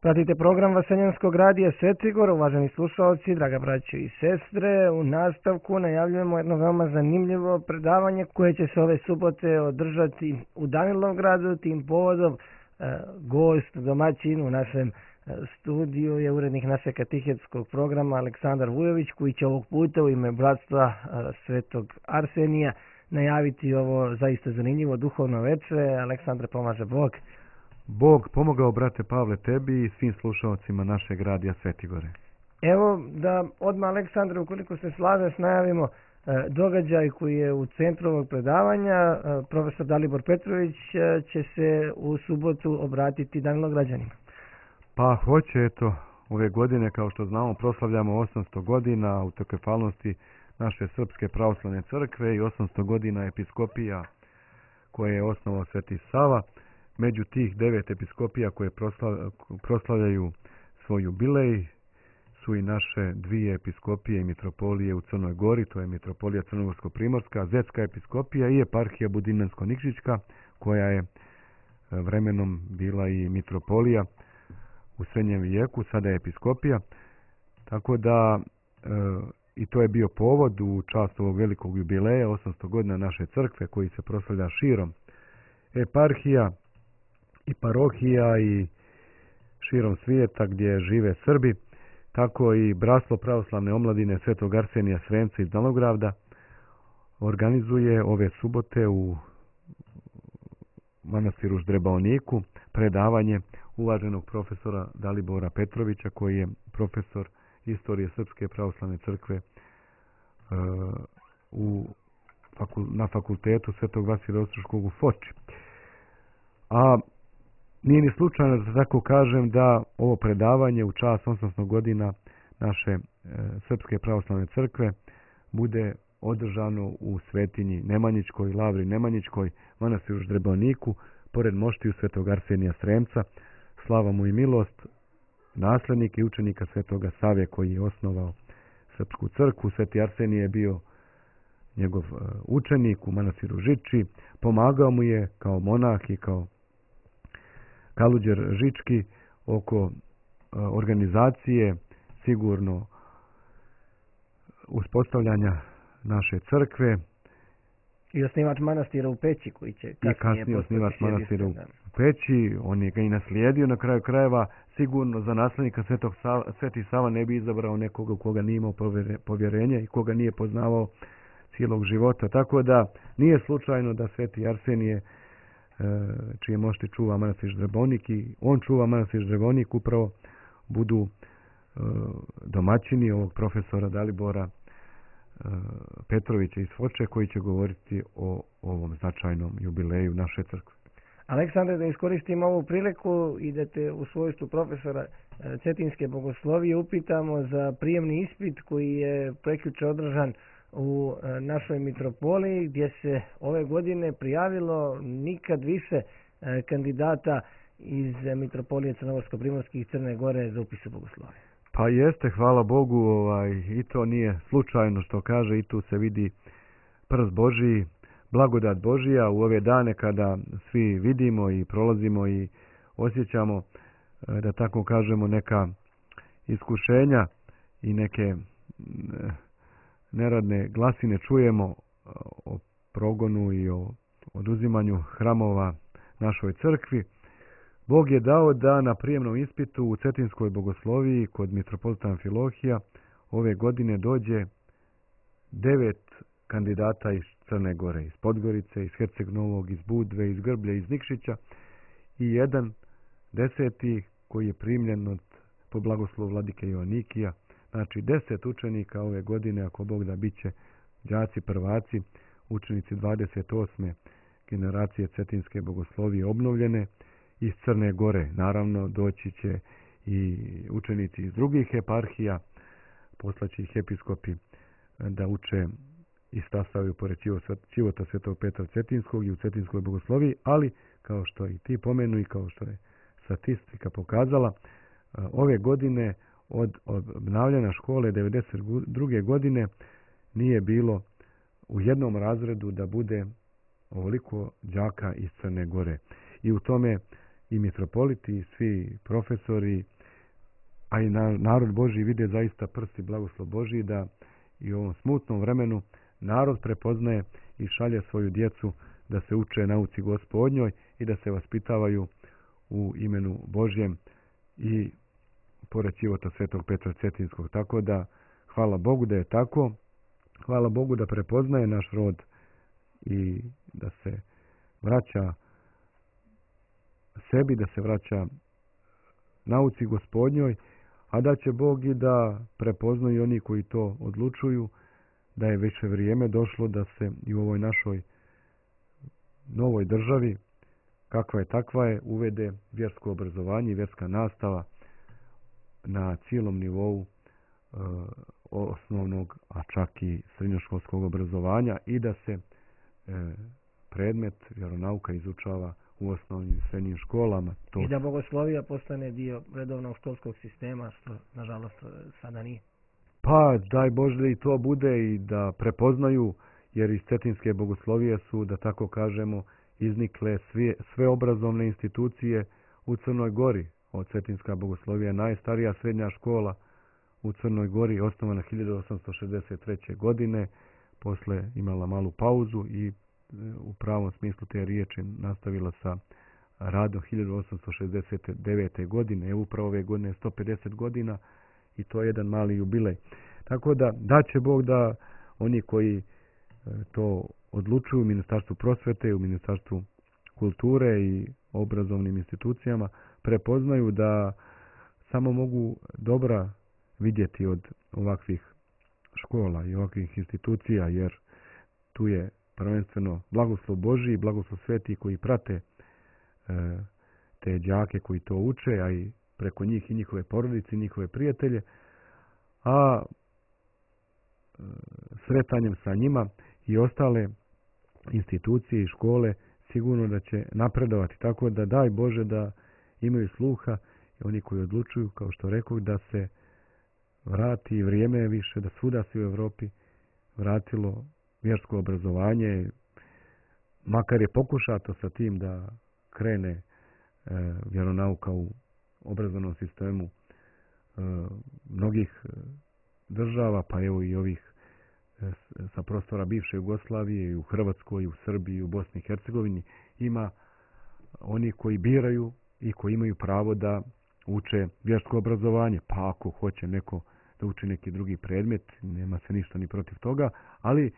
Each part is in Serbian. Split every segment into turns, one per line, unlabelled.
Pratite program Vaseljanskog radija Svetigor, uvaženi slušalci, draga braćo i sestre. U nastavku najavljujemo jedno veoma zanimljivo predavanje koje će se ove subote održati u Danilovgradu. Tim povodom gost, domaćin u našem studiju je urednik našeg katehetskog programa Aleksandar Vujović, koji će ovog puta u ime Bratstva Svetog Arsenija najaviti ovo zaista zanimljivo duhovno veče. Aleksandre, pomaže Bog.
Bog pomogao, brate Pavle, tebi i svim slušalcima našeg radija Svetigore.
Evo da odmah, Aleksandre, ukoliko se slažeš, najavimo događaj koji je u centru ovog predavanja. Profesor Dalibor Petrović će se u subotu obratiti Danilovgrađanima.
Pa hoće, eto, ove godine, kao što znamo, proslavljamo 800 godina autokefalnosti naše Srpske pravoslavne crkve i 800 godina episkopija koje je osnovao Sveti Sava. Među tih 9 episkopija koje proslavljaju svoj jubilej su i naše dvije episkopije i mitropolije u Crnoj Gori, to je mitropolija Crnogorsko-Primorska, Zetska episkopija i eparhija Budinmansko-Nikšićka, koja je vremenom bila i mitropolija u srednjem vijeku, sada je episkopija. Tako da i to je bio povod u čast ovog velikog jubileja, 800 godina naše crkve, koji se proslavlja širom eparhija i parohija i širom svijeta gdje žive Srbi. Tako i Bratstvo pravoslavne omladine Svetog Arsenija Sremca iz Danilovgrada organizuje ove subote u manastiru Ždrebaoniku predavanje uvaženog profesora Dalibora Petrovića, koji je profesor istorije Srpske pravoslavne crkve na fakultetu Svetog Vasilija Ostroškog u Foči. A nije ni slučajno da tako kažem da ovo predavanje u čast 800 godina naše Srpske pravoslavne crkve bude održano u svetinji Nemanjićkoj, Lavri Nemanjićkoj, manastiru Ždrebaoniku, pored moštiju Svetog Arsenija Sremca, slava mu i milost, naslednik i učenika Svetoga Save koji je osnovao Srpsku crkvu. Sveti Arsenije je bio njegov učenik u manastiru Žičči, pomagao mu je kao monah i kao kaluđer žički oko organizacije sigurno uspostavljanja naše crkve.
I osnivač manastira u Peći, koji će
kasnije osnivač manastira u Peći. On je ga i naslijedio na kraju krajeva. Sigurno za naslednika Sveti Sava ne bi izabrao nekoga u koga nije imao povjerenje i koga nije poznavao cijelog života. Tako da nije slučajno da Sveti Arsenije, čije mošti čuva manastir Ždrebaonik, i on čuva manastir Ždrebaonik, upravo budu domaćini ovog profesora Dalibora Petrovića iz Foče, koji će govoriti o ovom značajnom jubileju naše crkve.
Aleksandre, da iskoristim ovu priliku i da te u svojstvu profesora Cetinske bogoslovije upitamo za prijemni ispit koji je prekjuče održan u našoj mitropoliji, gdje se ove godine prijavilo nikad više kandidata iz mitropolije Crnogorsko-Primorske i Crne Gore za upis u bogoslovije.
Pa jeste, hvala Bogu, i to nije slučajno što kaže, i tu se vidi prst Božiji, blagodat Božija u ove dane kada svi vidimo i prolazimo i osjećamo, da tako kažemo, neka iskušenja i neke neradne glasine čujemo o progonu i o oduzimanju hramova našoj crkvi. Bog je dao da na prijemnom ispitu u Cetinskoj bogosloviji kod mitropolita Amfilohija ove godine dođe 9 kandidata iz Crne Gore, iz Podgorice, iz Herceg Novog, iz Budve, iz Grblje, iz Nikšića i jedan 10. koji je primljen po blagoslovu vladike Joanikija. Znači 10 učenika ove godine, ako Bog da, bit će đaci prvaci, učenici 28. generacije Cetinske bogoslovije obnovljene iz Crne Gore. Naravno, doći će i učenici iz drugih eparhija, poslaće ih episkopi da uče i stasavaju pored Ćivota Svetog Petra Cetinskog i u Cetinskoj bogosloviji, ali kao što i ti pomenu i kao što je statistika pokazala, ove godine od obnavljanja škole 1992. godine nije bilo u jednom razredu da bude ovoliko đaka iz Crne Gore. I u tome i mitropoliti i svi profesori a i narod Božji vide zaista prsti blagoslov Božji da i u ovom smutnom vremenu narod prepoznaje i šalje svoju djecu da se uče nauci Gospodnjoj i da se vaspitavaju u imenu Božjem i pored života svetog Petra Cetinskog. Tako da hvala Bogu da je tako. Hvala Bogu da prepoznaje naš rod i da se vraća sebi, da se vraća nauci Gospodnjoj, a da će Bog i da prepoznaju oni koji to odlučuju, da je već vrijeme došlo da se i u ovoj našoj novoj državi, kakva je takva je, uvede vjersko obrazovanje i vjerska nastava na cijelom nivou osnovnog, a čak i srednjoškolskog obrazovanja i da se predmet vjeronauka izučava u osnovnim i srednjim školama.
I da bogoslovija postane dio redovnog školskog sistema, što nažalost sada nije.
Pa daj Bože da i to bude i da prepoznaju, jer iz cetinske bogoslovije su, da tako kažemo, iznikle sve obrazovne institucije u Crnoj Gori. Od cetinska bogoslovija je najstarija srednja škola u Crnoj Gori, osnovana 1863. godine, posle imala malu pauzu i u pravom smislu te riječi nastavila sa radom 1869. godine. Upravo ove godine 150 godina i to je jedan mali jubilej. Tako da će Bog da oni koji to odlučuju u Ministarstvu prosvete, u Ministarstvu kulture i obrazovnim institucijama prepoznaju da samo mogu dobra vidjeti od ovakvih škola i ovakvih institucija, jer tu je prvenstveno blagoslov Božji i blagoslov sveti koji prate te đake koji to uče, a i preko njih i njihove porodice i njihove prijatelje, a sretanjem sa njima i ostale institucije i škole sigurno da će napredovati. Tako da daj Bože da imaju sluha i oni koji odlučuju, kao što rekao, da se vrati vrijeme više, da svuda se u Evropi vratilo vjersko obrazovanje, makar je pokušato sa tim da krene vjeronauka u obrazovnom sistemu mnogih država, pa evo i ovih sa prostora bivše Jugoslavije, i u Hrvatskoj, i u Srbiji, i u Bosni i Hercegovini, ima oni koji biraju i koji imaju pravo da uče vjersko obrazovanje. Pa ako hoće neko da uči neki drugi predmet, nema se ništa ni protiv toga, ali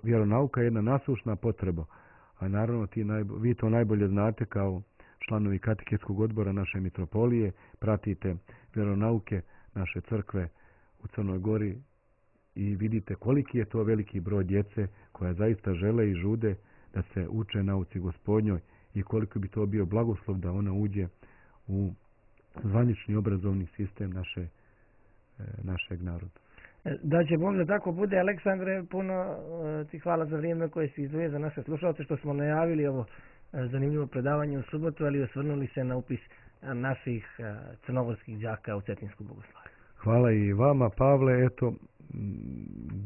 vjeronauka je jedna nasušna potreba. A naravno vi to najbolje znate kao članovi kateketskog odbora naše mitropolije, pratite vjeronauke naše crkve u Crnoj Gori i vidite koliki je to veliki broj djece koja zaista žele i žude da se uče nauci Gospodnjoj i koliko bi to bio blagoslov da ona uđe u zvanični obrazovni sistem našeg naroda.
Da će Bog da tako bude. Aleksandre, puno ti hvala za vrijeme koje si izdvojio za naše slušalce, što smo najavili ovo zanimljivo predavanje u subotu, ali osvrnuli se na upis naših crnogorskih đaka u Cetinsku bogosloviju.
Hvala i vama, Pavle. Eto,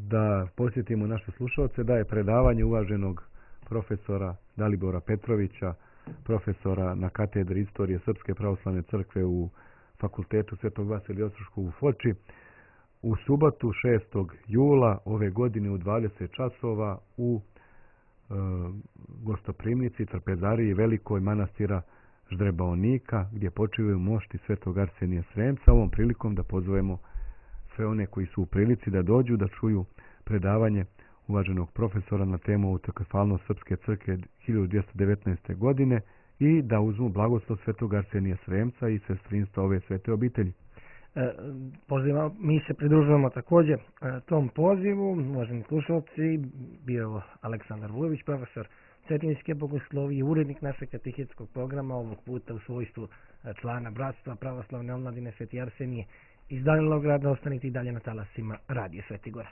da posjetimo naše slušalce, da je predavanje uvaženog profesora Dalibora Petrovića, profesora na katedri istorije Srpske pravoslavne crkve u Fakultetu Svetog Vasilija Ostroškog u Foči, u subotu 6. jula ove godine u 20 časova u gostoprimnici, trpezariji Velikoj manastira Ždrebaonika, gdje počivaju mošti Svetog Arsenija Sremca. Ovom prilikom da pozovemo sve one koji su u prilici da dođu da čuju predavanje uvaženog profesora na temu autokefalnost Srpske crkve 1219. godine i da uzmu blagoslov Svetog Arsenija Sremca i sestrinstva ove svete obitelji.
Mi se pridružujemo također tom pozivu. Uvaženi slušalci, bio je Aleksandar Vujović, profesor Cetinske bogoslovije, urednik našeg katehetskog programa, ovog puta u svojstvu člana Bratstva pravoslavne omladine Sveti Arsenije iz Danilograda. Ostanite i dalje na talasima Radio Sveti Gora.